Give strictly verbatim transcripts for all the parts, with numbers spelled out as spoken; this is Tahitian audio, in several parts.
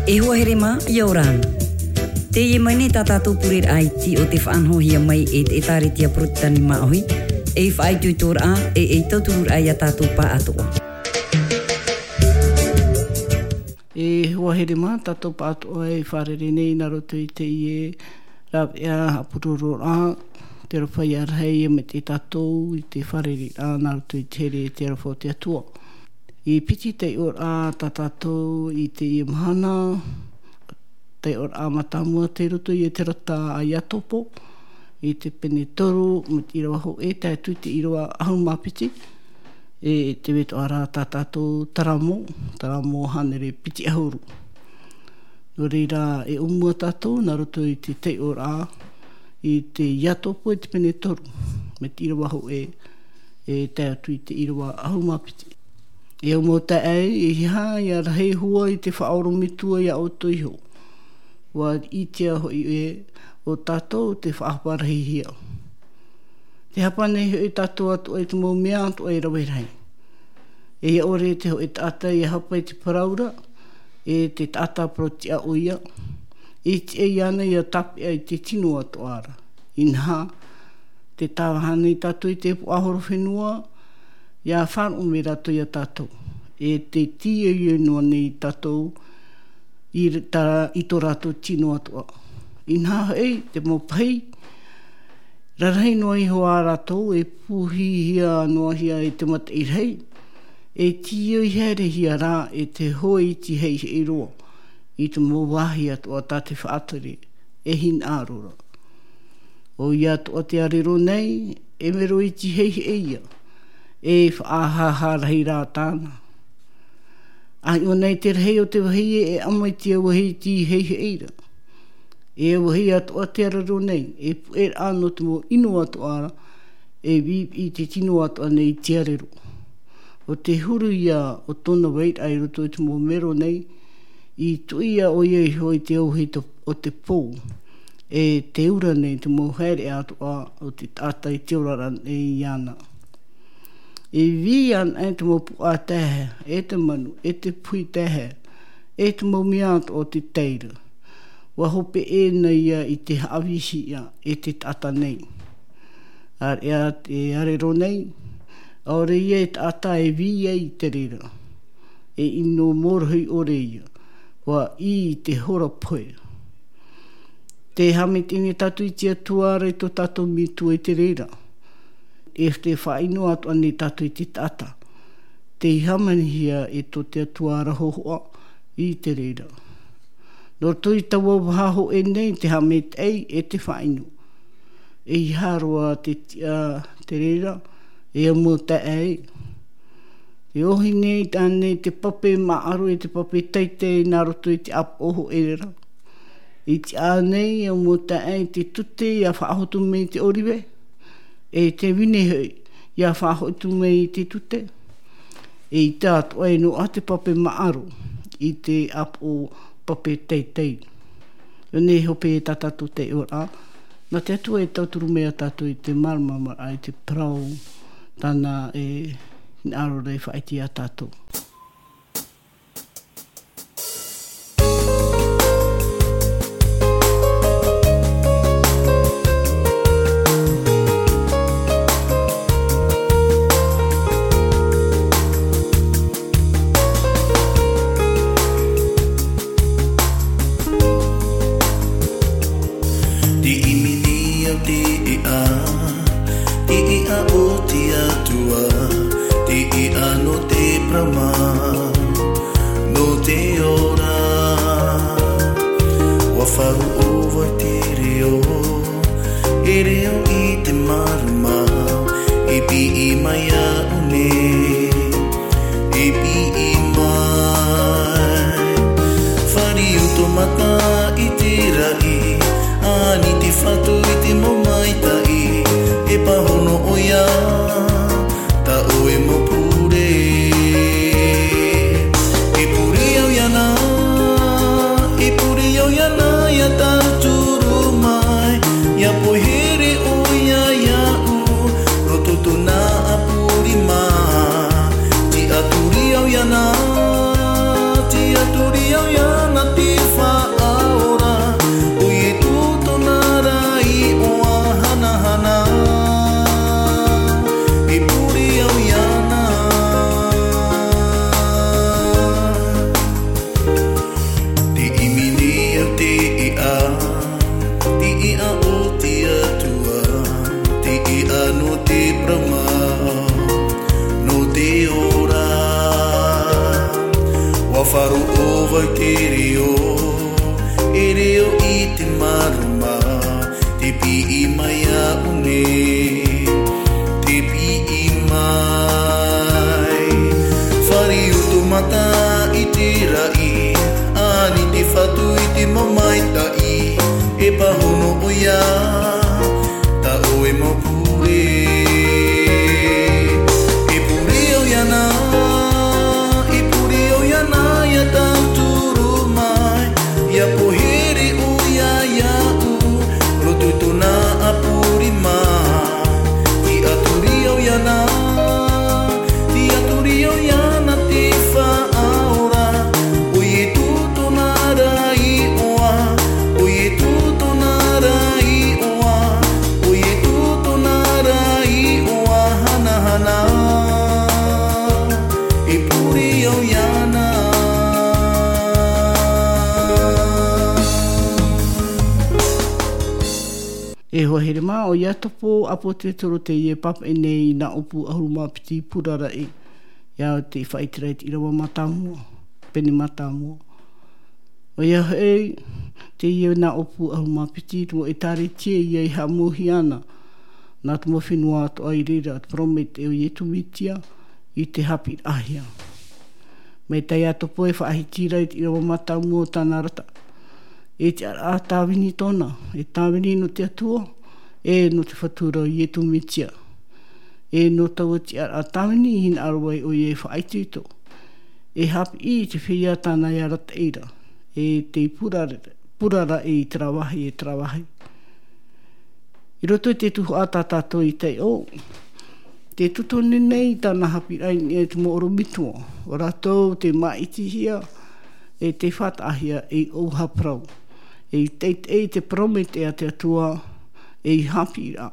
E hoa here mā, ʻia ora na. Teie mai nei tā tātou pureraʻa iti o te faʻanahohia mai e te ʻĒtārētia Porotitani Māʻohi, ei faʻaitoitoraʻa, e ei tautururaʻa ia tātou pāʻatoʻa. E hoa here mā, tātou pāʻatoʻa e fārerei nei nā roto i teie rāveʻa haʻapurororaʻa, te aroha ia rahi mai ia tātou i te fārereiraʻa nā roto i te here e te aroha o te Atua. I piti taiʻoraʻa tā tātou i teie mahana, taiʻoraʻa mātāmua tei roto i te rata a Iakobo, i te pene toru, mai te ʻīrava hōʻē tae atu i te ʻīrava ʻahuru mā piti, e te mea atoʻa rā tā tātou taramo, taramo hānere piti ʻahuru. Nō reira, e ʻōmua tātou nā roto i te taiʻoraʻa i te Iakobo i te pene toru, mai te ʻīrava hōʻē, e tae atu i te ʻīrava ʻahuru mā piti. E au mau taeaʻe, e aha ia rahi hua i te faʻaorometua ia ʻoutou iho? ʻUa ʻitea hoʻi ē, ʻo tātou te faʻahaparahihia. Tē hapa nei hoʻi tātou atoʻa i te mau mea atoʻa e rave rahi. E ʻaore te hōʻē taʻata ia hapa i te parau ra, e te taʻata parau tiʻa ʻoia, e tiʻa iāna ia tāpeʻa i te tino atoʻa ra. Inaha, tē tāvaha nei tātou i te puaʻahorofenua, ia faʻaroʻo mai rātou ia tātou. E tē tīaʻi noa nei tātou i r-, tā, i tō rātou tino atoʻa. Inaha hoʻi, te mau pahi, rarahi noa iho ā rātou, e pūhihia noa hia e te mataʻi rahi, e tīaʻi haerehia rā e te hōʻē iti heihei roa, i te mau vāhi atoʻa tā te faʻatere, e hinaʻaro ra. ʻOia atoʻa tē arero nei, e mero iti heihei ia, e faʻahaʻahaʻa rahi rā tāna. ʻA hiʻo nei te rahi o te vāhi e, e ʻama i te vāhi iti heihei ra. E vāhi atoʻa tē arero nei, e puʻe ra nō te mau ʻino atoʻa ra, e viʻiviʻi te tino atoʻa nei i te arero. ʻO te huru ia o tōna vairaʻa i roto i te mau mero nei, i tuʻi ia ʻoia iho i te auahi to-, o te pō, e tē ura nei te mau haereʻa atoʻa o te taʻata i te ora ra nei iāna. E vī anaʻe te mau puaʻa taehae, e te manu, e te puhi taehae, e te mau mea atoʻa o te tahi ra. ʻUa hope ʻē na ia i te haʻavīhia e te taʻata nei. ʻĀreʻa tē arero nei, ʻaore ia e taʻata e vī ai i te reira. E ʻino mōrohi ʻore ia, ʻua ʻī i te hora pohe. Tē haʻamaitaʻi nei tātou i te Atua ra i tō tātou Metua i te reira. E tē faʻaʻino atoʻa nei tātou i te taʻata, tei hāmanihia e tō te Atua ra hōhoʻa i te reira. Nō roto i taua vaha hōʻē nei te haʻamaitaʻi e te faʻaʻino. E ʻeiaha roa te tiʻa te reira, e au mau taeaʻe. E ʻōhie nei tāne te pape māʻaro e te pape teitei nā roto i te ʻāpoʻo hōʻē ra. E tiʻa nei e au mau taeaʻe i te tute ia faʻahotu mai i te ʻōrive, e te vine hoʻi ia faʻahotu mai i te tute. E ʻaita atoʻa e noaʻa te pape māʻaro i te ʻāpoʻo pape teitei. ʻIa nehenehe hope tā tātou taiʻoraʻa, nā te Atua e tauturu mai ia tātou i te māramarama i te parau tāna e hinaʻaro ra e faʻaʻite ia tātou. Te ʻimini a te ʻēʻa, te ʻēʻa o te Atua, te ʻēʻa nō te parau mā, Faʻaroʻo vau i te reo, e reo i te marama, tē piʻi mai iāʻu nei, tē piʻi mai. Fāriu tō mata i te raʻi, ani te Fatu i te mau maitaʻi, e pāhono ʻoia, tā ʻoe mau pure. E pure au iāna, e pure au iāna, ʻia tauturu mai, ʻia pohe ʻoia iāʻu, roto i tōna ʻāpō rima. Tiʻaturi au iāna, tiʻaturi au iāna te Faʻaora. ʻO Ietu tōna ra iʻoa, ʻo Ietu tōna ra iʻoa, ʻo Ietu tōna ra iʻoa, hanahana. E pure au iāna. E hoa here mā, ʻoia tō pō ʻāpōsetolo teie e pāpaʻi nei i nā ʻōpū ʻahuru mā piti puraraʻi, ʻia te faʻaʻite ra i te ʻīrava mātāmua, pene mātāmua. ʻOia hoʻi, teie nā ʻōpū ʻahuru mā piti, te mau ʻĒtārētia ia e haʻamauhia ana, nā te mau fenua atoʻa i reira, te Paromētia ʻo Ietu Mesia, i te haʻapiʻiraʻahia. Mai tā ʻoia tō pō e faʻahiti ra i te ʻīrava mātāmua o tāna arataʻi. E tiʻaraʻa tāvini tōna, e tāvini nō te Atua, e nō te Fatu ra ʻo Ietu Mesia. E nō taua tiʻaraʻa tāvini i hinaʻaro ai ʻoia e faʻaitoito. E haʻapiʻi i te feiā tāna e arataʻi ra, e te purara-, puraraʻi i terā vāhi, e terā vāhi. I roto i te tuhaʻa tā tātou i taiʻo, tē tūtonu nei tāna haʻapiʻiraʻa i niʻa i te mau ʻorometua, ʻo rātou tē māʻitihia, e tē faʻataʻahia ei ʻauha parau. E i te, e i te Paromētia a te Atua, e i haʻapiʻiraʻa,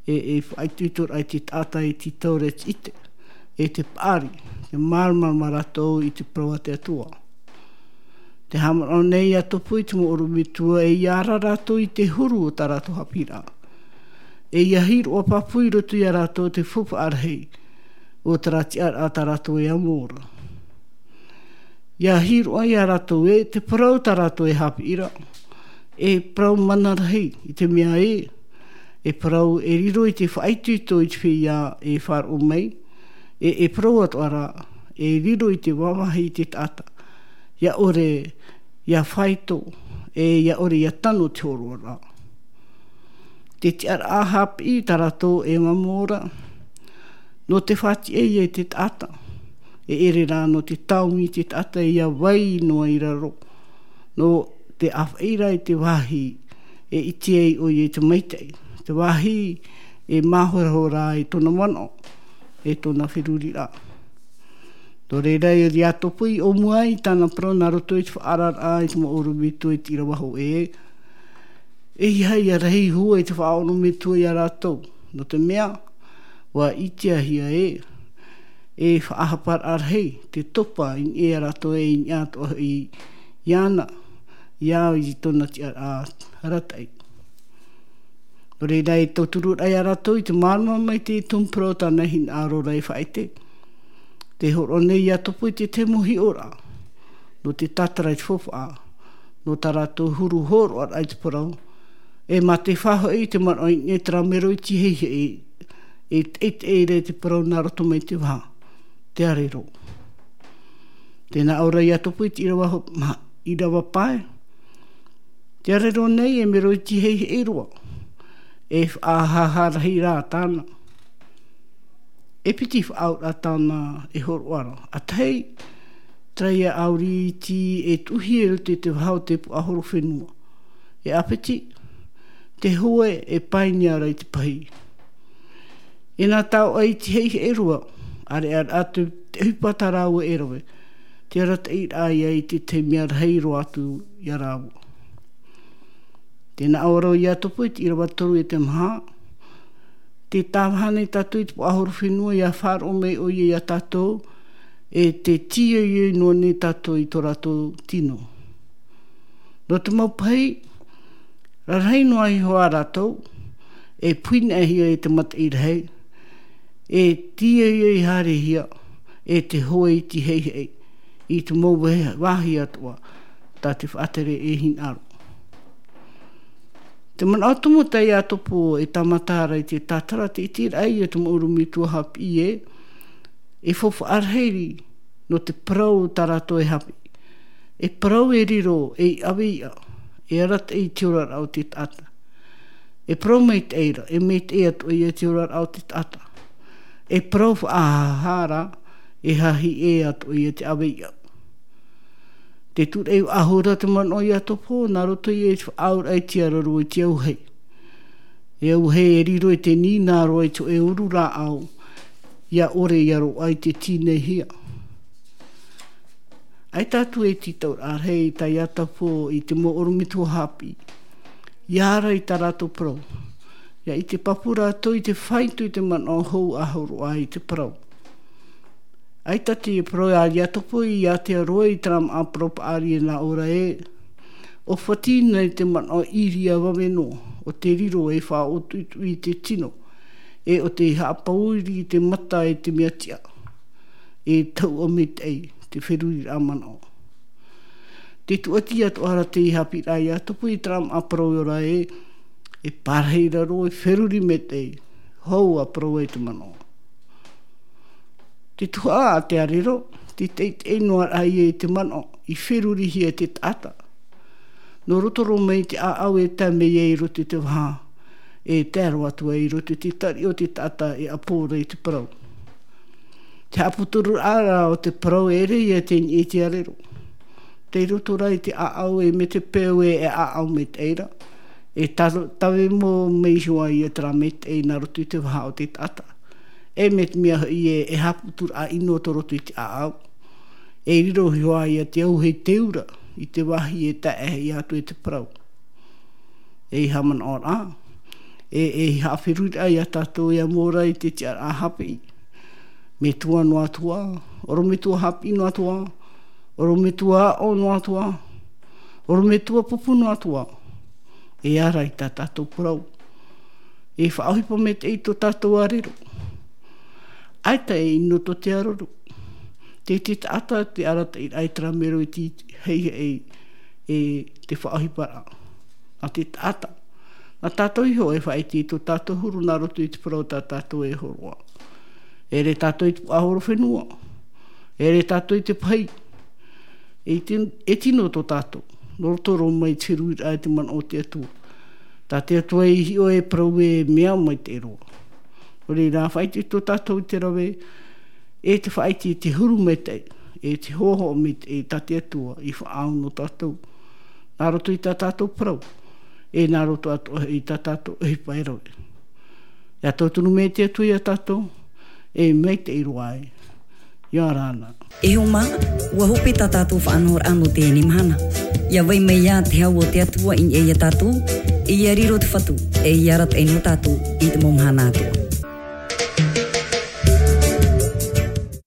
e, e faʻaitoitoraʻa i te taʻata e tītau ra i te ʻite, e te paʻari, te māramarama rātou i te parau a te Atua. Tē haʻamanaʻo nei ʻoia tō pō i te mau ʻorometua e ʻia ara rātou i te huru o tā rātou haʻapiʻiraʻa. E ʻia hiroʻa pāpū i roto ia rātou te faufaʻa rahi o terā tiʻaraʻa tā rātou e amo ra. ʻIa hiroʻa ia rātou ē, te parau tā rātou e haʻapiʻi ra, e parau mana rahi, i te mea ē, e parau e riro i te faʻaitoito i te feiā e faʻaroʻo mai, e, e parau atoʻa ra, e riro i te vāvāhi i te taʻata, ʻia ʻore ʻia faito, e ʻia ʻore ʻia tano te hōroʻaraʻa. Te tiʻaraʻa haʻapiʻi tā rātou e amo ra, nō te faʻatiʻa ia i te taʻata, e ʻere rā nō te taomi i te taʻata ʻia vai noa i raro, nō te ʻāfaʻi ra i te vāhi e ʻite ai ʻoia i te maitaʻi, te vāhi e māhorahora ai tōna manaʻo, e tōna feruriraʻa. Nō reira, e ʻoia tō pō i ʻōmua ai tāna parau nā roto i te faʻaararaʻa i te mau ʻorometua i te ʻīrava hōʻē. E ʻeiaha ia rahi hua i te faʻaʻorometua ia rātou, nō te mea, ʻua ʻitehia ē, e faʻahaparaʻa rahi, te topa i niʻa ia rātou e i niʻa atoʻa hoʻi iāna, ʻia au i tōna tiʻaraʻa arataʻi. Nō reira, e tauturu ra ia rātou i te māramarama i te tumu parau tāna e hinaʻaro ra e faʻaʻite. Tē hōroʻa nei ʻoia tō pō i te tahi mau hiʻoraʻa, nō te tātara i te faufaʻa, nō tā rātou huru hōroʻaraʻa i te parau, e mā te faʻahoʻi i te manaʻo i niʻa i terā mero iti heiheʻi, e, e, e, e te parau nā roto mai te vaha, te arero. Tē nā ʻō ra ʻoia tō pō i te ʻīrava ho-, ma-, ʻīrava pae. Te arero nei e mero iti heiheʻi roa. E faʻahaha rahi rā tāna. E piti faʻaauraʻa tāna e hōroʻa ra. ʻA tahi, terā ïa ʻauri iti e tuʻuhia i roto i te vaha o te puaʻahorofenua. E ʻāpiti, te hoe e paenia ra i te pahi. E nā taoʻa iti heiheʻi roa, ʻāreʻa rā te, te ʻohipa tā rāua e rave, te arataʻiraʻa ïa i te tahi mea rahi roa atu ia rāua. Tē nā ʻō ra ʻoia tō pō i te ʻīrava toru e te maha, tē tāvaha nei tātou i te puaʻahorofenua ʻia faʻaroʻo mai ʻoia ia tātou, e tē tīoioi noa nei tātou i tō rātou tino. Nō te mau pahi, rarahi noa iho ā rātou, e puinaʻahia e te mataʻi rahi, e tīoioi haerehia, e te hoe iti heiheʻi. i te mau vāhi atoʻa tā te faʻatere e hinaʻaro. Te manaʻo tumu tā Iakobo e tāmata ra i te tātara, te itiraʻa ia te mau ʻorometua haʻapiʻi ē, e faufaʻa rahi nō te parau tā rātou e haʻapiʻi. E parau e riro ei ʻaveiʻa, e arataʻi i te oraraʻa o te taʻata. E parau maitaʻi ra, e maitaʻi atoʻa ia te oraraʻa o te taʻata. E parau faʻahāhā ra, e hahi ʻē atoʻa ia te ʻaveiʻa. Te tūraʻi faʻahou ra te manaʻo o Iakobo, nā roto ia i te faʻaauraʻa i te aro roa i te auahi. E auahi e riro i te nīnaʻa roa i te hōʻē ʻuru rāʻau, ʻia ʻore ʻia roaʻa i te tīnehia. ʻAita atu e tītauraʻa rahi tā Iakobo i te mau ʻorometua haʻapiʻi. ʻIa ara i tā rātou parau. ʻIa ʻite pāpū rātou i te faito i te manaʻo hou a hōroʻa i te parau. ʻAita te parau a Iakobo i ātea roa i terā mau parau paʻari e nā ʻō ra ē, ʻo fati nei te manaʻo ʻīria vave noa, ʻo te riro e faʻaʻotoʻoto i te tino, e ʻo te haʻapouri i te mata e te mea tiʻa, e tauʻa maitaʻi te feruriraʻa manaʻo. Te tūʻati atoʻa ra te haʻapiʻiraʻa a Iakobo i terā mau parau ra ē, e pārahi ra roa, e feruri maitaʻi, hou a parau ai te manaʻo. Te tuhaʻa a te arero, te teitei noa ra ia i te manaʻo, i ferurihia te taʻata. Nō roto roa mai te ʻāʻau e tae mai ai i roto i te vaha, e tae roa atu ai i roto i te tari o te taʻata e ʻapo ra i te parau. Te haʻaputuraʻa ra o te parau e ʻere ia te niʻa i te arero. Tei roto ra i te ʻāʻau e me te peu e ʻāʻau maitaʻi ra. E taro-, tave mau mai iho ā ia terā maitaʻi nā roto i te vaha o te taʻata. E me te mea hoʻi ē, e haʻaputuraʻa ʻino tō roto i te ʻāʻau. E riro iho ā ia te auahi te ura, i te vāhi e tae atu e te parau. E haʻamanaʻo ra, e, e haʻaferuriraʻa ia tātou ʻia mōrā i te tiʻaraʻa haʻapiʻi. Metua noa atu ā, ʻorometua haʻapiʻi noa atu ā, ʻorometua aʻo noa atu ā, ʻorometua pupu noa atu ā. E ara i tā tātou parau. E faʻaʻohipa maitaʻi tō tātou arero. ʻAita e ʻino tō te arero. Te, te taʻata te arataʻiraʻa i terā mero i te, hei, hei, e te faʻaʻohiparaʻa. Nā te taʻata. Nā tātou iho e faʻaʻite i tō tātou huru nā roto i te parau tā tātou e hōroʻa. E ʻere tātou i te puaʻahorofenua. E ʻere tātou i te pahi. E ti-, e tino tō tātou. Nō roto roa mai te feruriraʻa i te manaʻo o te Atua. Tā te Atua i hiʻo e parau e mea maitaʻi roa. Nō reira, faʻaʻite tō tātou i te rave, e te faʻaʻite i te huru maitaʻi, e te hōhoʻa maitaʻi tā te Atua i faʻaau nō tātou. Nā roto i tā tātou parau, e nā roto atoʻa i tā tātou ʻohipa e rave. ʻIa tauturu mai te Atua ia tātou, e maitaʻi roa ai. ʻIa ora na. E hoa mā, ʻua hope tā tātou faʻanahoraʻa nō teie mahana. ʻIa vai mai ā te hau o te Atua i niʻa ia tātou, e ʻia riro te Fatu, e ʻia arataʻi nō tātou i te mau mahana atoʻa.